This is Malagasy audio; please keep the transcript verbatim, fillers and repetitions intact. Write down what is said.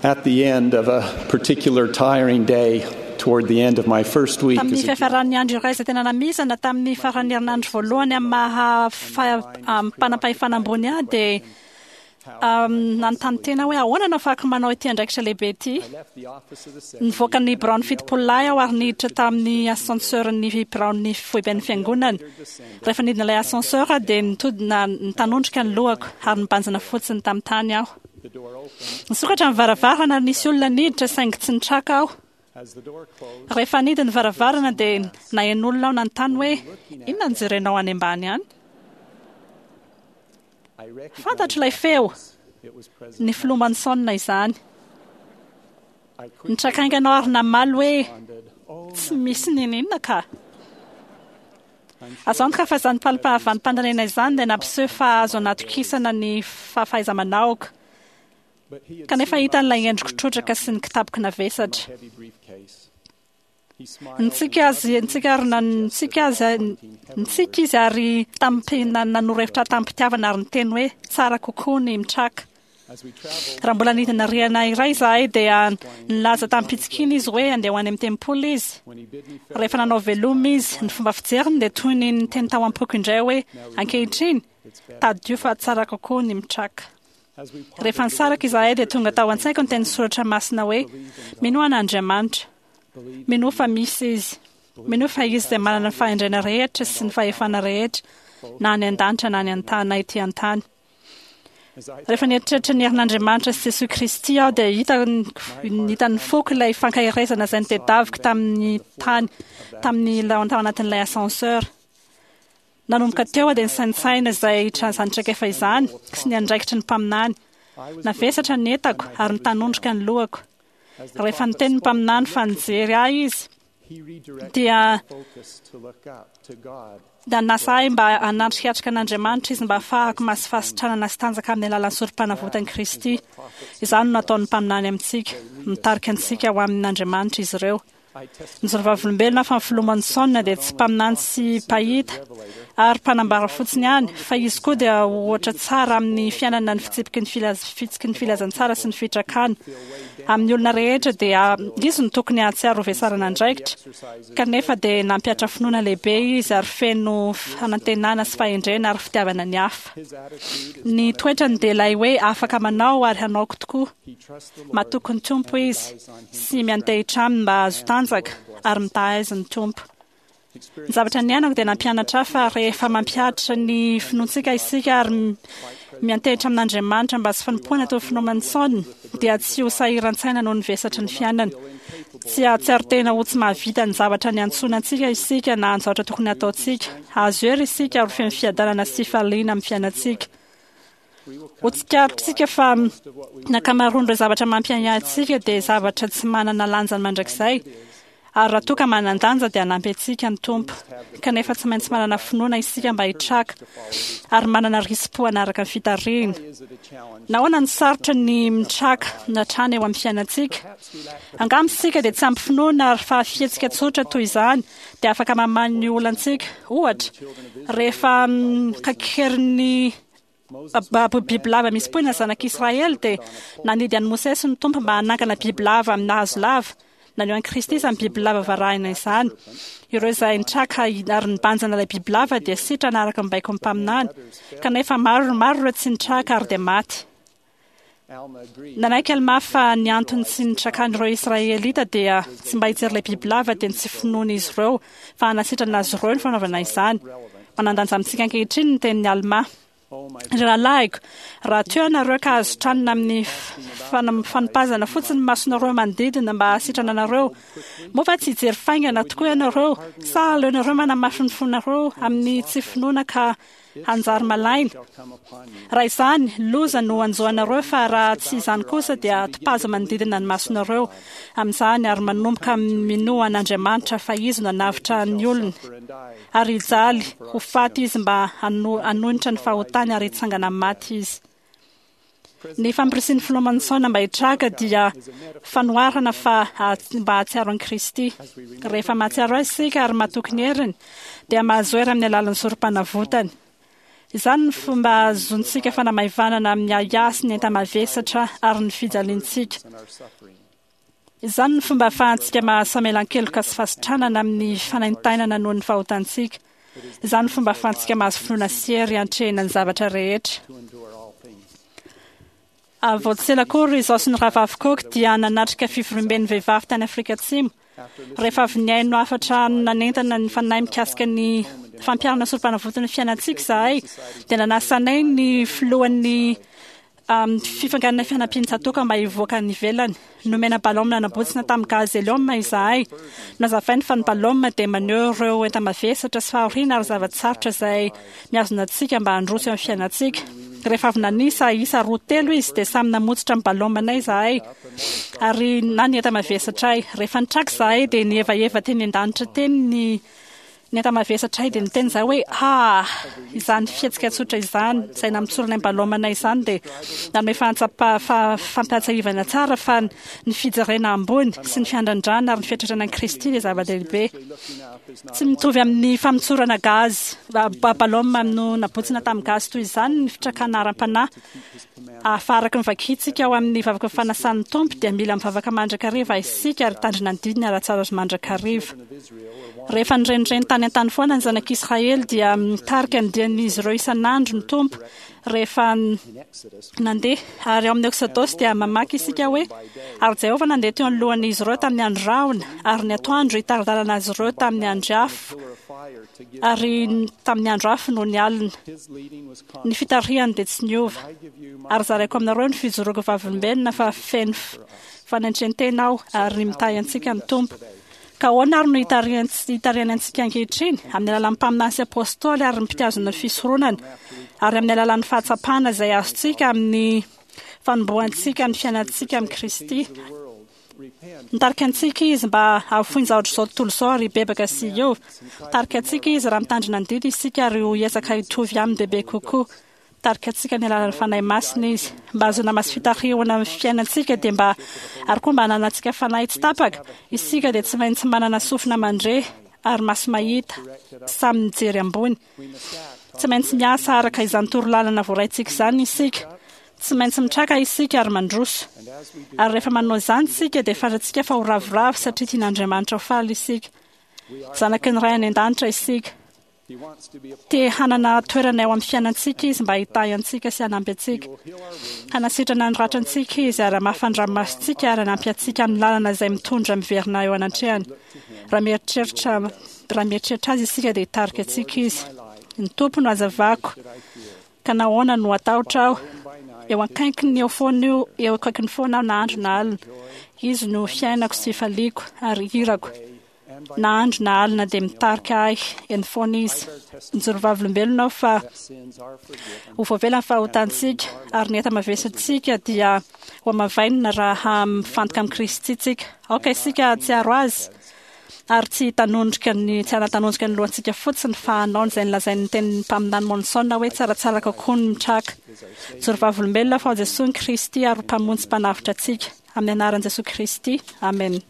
At the end of a particular tiring day, toward the end of my first week Tamin'ny as a fiafaran'ny andro iray izay tena namizana tamin'ny faran'ny herinandro voalohany amin'ny maha fa- am- mpanam-pahefana ambony ahy dia um, nanontany tena hoe ahoana no afahako manao ity andraikitra lehibe ity. I left the office of the seventy Nivoaka ny biraon'ny fitopololahy aho ary niditra tamin'ny ascenseur-n'ny biraon'ny foiben'ny fiangonana. Rehefa nidina ilay ascenseur dia nitodina nitanondrika ny lohako ary nibanjina fotsiny tamin'ny tany aho. the door opened. Nisokatra ny varavarana ary nisy olona niditra saingy tsy nitraka aho. As the door closed, Rehefa nidy ny varavarana dia naheno olona aho nanontany hoe inona no jerenao any ambany any? I recognized Fantatro ilay feo, it was President. ny filoha Monson izany. I quickly Nitraka haingana aho ary namaly hoe responded, "Oh, tsy misy n'inon'inona ka. I'm sure Azo antoka fa izany falim-pahavanimpandanena izany dia nampiseho fa azo anatokisana ny fahaiza-manaoko. But he had Kanefa seen my hitan'ilay endriko subdued trotraka sy ny kitapoko navesatra. countenance, heavy briefcase. He smiled Nitsiky azy, nitsiky ary nan- nitsiky azy, nitsiky izy ary tamim-pi- na- nanoro hevitra tamim-pitiavana ary niteny hoe tsara kokoa ny mitraka. as we traveled. Raha mbola nidina rihana iray izahay dia nilaza tamim-pitsikiana izy hoe andeha ho any amin'ny tempoly izy. When he bid me farewell, Rehefa nanao veloma izy, ny fomba fijeriny dia toy ny niteny tao am-poko indray hoe ankehitriny it's better. tadidio fa tsara kokoa ny mitraka. As we parted, Rehefa nisaraka izahay dia tonga tao an-tsaiko ny teny soratra masina hoe minoa an'Andriamanitra, believe minoa fa misy izy, minoa fa izy dia manana ny fahendrena rehetra sy ny fahefana rehetra na any an-danitra na any an-tany na ety an-tany. as I Rehefa nieritreritra ny herin'Andriamanitra sy Jesosy Kristy aho dia hita hitan'ny foko ilay fankaherezana izay nitedaviko tamin'ny tany tamin'ny tao anatin'ilay ascenseur. Nanomboka teo aho dia nisaintsaina izay tra- izany traikefa izany sy ny andraikitry ny mpaminany. I was Navesatra ny entako ary nitanondrika ny lohako. as the Rehefa prophet niteny ny spoke, mpaminany fa nijery ahy izy he redirected dia my focus to look up to God. dia nanasa ahy mba hanatrikatrika an'Andriamanitra izy mba hahafahako mahazo fahasitranana sy tanjaka amin'ny alalan'ny sorom-panavotan'i Kristy. Izany no nataon'ny mpaminany amintsika, mitarika antsika ho amin'Andriamanitra izy ireo. I testify Ny vavolombelona fa ny filoha Monson dia tsy mpaminany sy mpahita ary mpanambara fotsiny ihany, fa izy koa dia ohatra tsara amin'ny fiainana ny fitsipiky ny filaz- fitsiky ny filazantsara sy ny fitrakana. Amin'ny olona rehetra dia izy no tokony hahatsiaro ho vesarana andraikitra, kanefa dia nampihatra finoana lehibe izy ary feno fanantenana sy fahendrena ary fitiavana ny hafa. his attitude is Ny toetrany dia ilay hoe afaka manao ary hanaoko tokoa. he trusts the Lord Matoky ny Tompo izy relies on him sy miantehitra aminy mba hahazo tanjaka ary mitaha ny Tompo. Ny Experience zavatra niainako dia nampianatra ahy fa rehefa mampihatra ny finoantsika isika ary m- miantehitra amin'Andriamanitra mba tsy fanompoana toy ny finoana Manson dia tsy ho sahiran-tsaina noho ny vesatry ny fiainana. Tsy hahatsiaro tena ho tsy mahavita ny zavatra niantsoana antsika isika na ny zavatra tokony hataontsika. Hahazo hery isika ary feno fiadanana sy fifaliana amin'ny fiainantsika. we will Ho tsikaritsika fa ny ankamaroan'ireo zavatra mampiahiahy antsika dia zavatra tsy manana lanjany mandrakizay. Ary raha toa ka manan-danja dia hanampy antsika ny Tompo. Kanefa tsy maintsy manana finoana isika mba hitraka ary manana risi-po hanaraka ny fitarihina. is it a challenge Nahoana no sarotra ny mitraka hatrany eo amin'ny fiainantsika? perhaps we lack the Angamba isika dia tsy ampy finoana ary fa fihetsika tsotra toy izany dia afaka mamaly ny olantsika. Ohatra, rehefa mm, kakerin'ny Moses ba- ba- bibilava misy poina zanak'Israely dia nanidy an'i Mosesy ny Tompo mba hanangana bibilava amin'ny hazo lava. Naneho an'i Kristy izany bibilava varahina izany. Ireo izay nitraka ary nibanjina ilay bibilava dia sitrana araka ny baikon'ny mpaminany. Kanefa maro maro ireo tsy nitraka ary dia maty. Alma agreed Nanaiky Alma fa ny antony tsy nitrakan'ireo Israelita dia tsy mba hijery ilay bibilava dia ny tsy finoan'izy ireo fa hanasitrana azy ireo ny fanaovana izany. Manan-danja amintsika ankehitriny ny tenin'i Alma. oh my Ry rahalahiko, raha toa ianareo ka azo tranona amin'ny fana- fanipazana fotsiny ny masonareo manodidina mba hahasitrana anareo, moa va tsy hijery faingana tokoa ianareo sa aleonareo manamafy ny fonareo amin'ny tsy finoana ka hanjary malaina? shall come upon you Raha izany, loza no hanjo anareo fa raha tsy izany kosa dia topazo manodidina ny masonareo amin'izany ary manomboka minoa an'Andriamanitra fa izy no hanavotra ny olony suffer and die ary hijaly ho faty izy mba hano- hanohitra ny fahotany ary hitsangana amin'ny maty izy. Ny fampirisihin'ny filoha Monson mba hitraka dia fanoharana fa ha- mba hahatsiaro an'i Kristy. Rehefa mahatsiaro azy isika ary matoky ny heriny dia mahazo hery amin'ny alalan'ny sorom-panavotany. Izany ny fomba ahazoantsika fanamaivanana amin'ny ahiahy sy ny enta-mavesatra ary ny fijaliantsika. Izany ny fomba ahafahantsika mahazo famelan-keloka sy fahasitranana amin'ny fanaintainana noho ny fahotantsika. Izany ny fomba ahafahantsika mahazo finoana sy hery hiantrehina ny zavatra rehetra. Vao tsy ela akory izaho sy ny rahavavy Cook dia nanatrika fivoriamben'ny vehivavy tany Afrika Atsimo. Rehefa avy nihaino hafatra nanentana ny fanahy mikasika ny fampiharana sorompanavotana ny fiainantsika izahay, dia nanasa anay ny filohan'ny fifanganana fianampian'ny tsatòka mba hivoaka any ivelany. Nomena balaoma nanabotsina tamin'ny gaz hélium izahay. Nazavainy fa ny balaoma dia maneho ireo enta-mavesatra sy fahoriana ary zava-tsarotra izay mihazona antsika mba handroso eo amin'ny fiainantsika. Rehefa avy nanisa isa roa telo izy dia samy namotsitra ny balaomanay izahay ary na ny enta-mavesatray. Rehefa nitraka izahay dia nihevaheva teny an-danitra teny ny ny enta-mavesatray dia niteny izahay hoe ah, izany fihetsika tsotra izany izay namotsorana ny balaomanay izany dia nanome fahatsapa fampiatsahivana tsara fa ny fijerena ambony sy ny fiandrandrana ary ny fiatrerana an'i Kristy dia zava-dehibe. Tsy mitovy amin'ny famotsorana gaz balaoma no nabotsina tamin'ny gaz toy izany ny fitrakana ara-panahy. Fa araka ny vakintsika ao amin'ny vavaka fanasan'ny Tompo dia mila mivavaka mandrakariva isika ary tandrina ny didiny ara-tsara mandrakariva. Rehefa nirenireny tany an-tany foana ny zanak'Israely dia mitarika ny dian'izy ireo isan'andro ny Tompo rehefa nandeha. Ary ao amin'ny Eksodosy dia mamaky isika hoe ary Jehovah nandeha teo anoloan'izy ireo tamin'ny andro rahona ary ny atoandro hitari-dalana azy ireo tamin'ny andro afo ary tamin'ny andro afo noho ny alina. Ny fitarihany dia tsy niova. Ary zaraiko aminareo ny fijoroako vavolombelona fa feno fanentrentena aho ary mitahy antsika ny Tompo. Ka ahoana ary no hitarihany antsika ankehitriny? Amin'ny alalan'ny mpaminany sy apôstôly ary ny mpitazona fisoronana ary amin'ny alalan'ny fahatsapana izay azontsika amin'ny fanombohantsika ny fiainantsika amin'i Kristy. Mitarika antsika izy mba hahafoy ny zavatra izao tontolo izao ary hibebaka sy hiova. Mitarika antsika izy raha mitandrina ny didy isika ary ho hiezaka hitovy aminy bebe kokoa. Mitarika antsika ny alalan'ny Fanahy Masina izy. Mba hahazoana maso fitarihana amin'ny fiainantsika dia mba ary koa mba hananantsika fanahy tsy tapaka, isika dia tsy maintsy manana sofina mandre ary maso mahita samy mijery ambony. Tsy maintsy miasa araka izany torolalana voaraintsika izany isika. Tsy maintsy mitraka isika ary mandroso. Ary rehefa manao izany isika dia fantatsika fa ho ravoravo satria tian'Andriamanitra ho faly isika. Zanaky ny Ray any an-danitra isika. Te hanana toerana eo amin'ny fiainantsika izy mba hitahy antsika sy hanampy antsika. Hanasitrana ny ratrantsika izy ary hamafa ny ranomasontsika ary hanampy antsika amin'ny lalana izay mitondra miverina eo anatrehany. Raha mieritreritra raha mieritreritra azy isika dia hitarika antsika izy. Ny Tompo no hazavako, ka nahoana no hatahotra aho? Eo akaikiny eo foana io, eo akaikiny foana aho na andro na alina. Izy no fiainako sy fifaliako ary hirako. Na andro na alina dia mitarika ahy eny foana izy. Mijoro vavolombelona aho fa ho voavela ny fahotantsika ary ny enta-mavesatsika dia ho hamavainina raha mifantoka amin'i Kristy tsika. Aoka isika hahatsiaro azy ary tsy hitanondrika ny tsy hanatanondrika ny lohantsika fotsiny fa hanao izay nolazain'ny tenin'ny mpaminany Monson hoe tsaratsara kokoa ny mitraka. Mijoro vavolombelona fa ao Jesoa ny Kristy ary ho Mpamonjy sy Mpanavotra antsika. Amin'ny anaran'i Jesoa Kristy. Amen.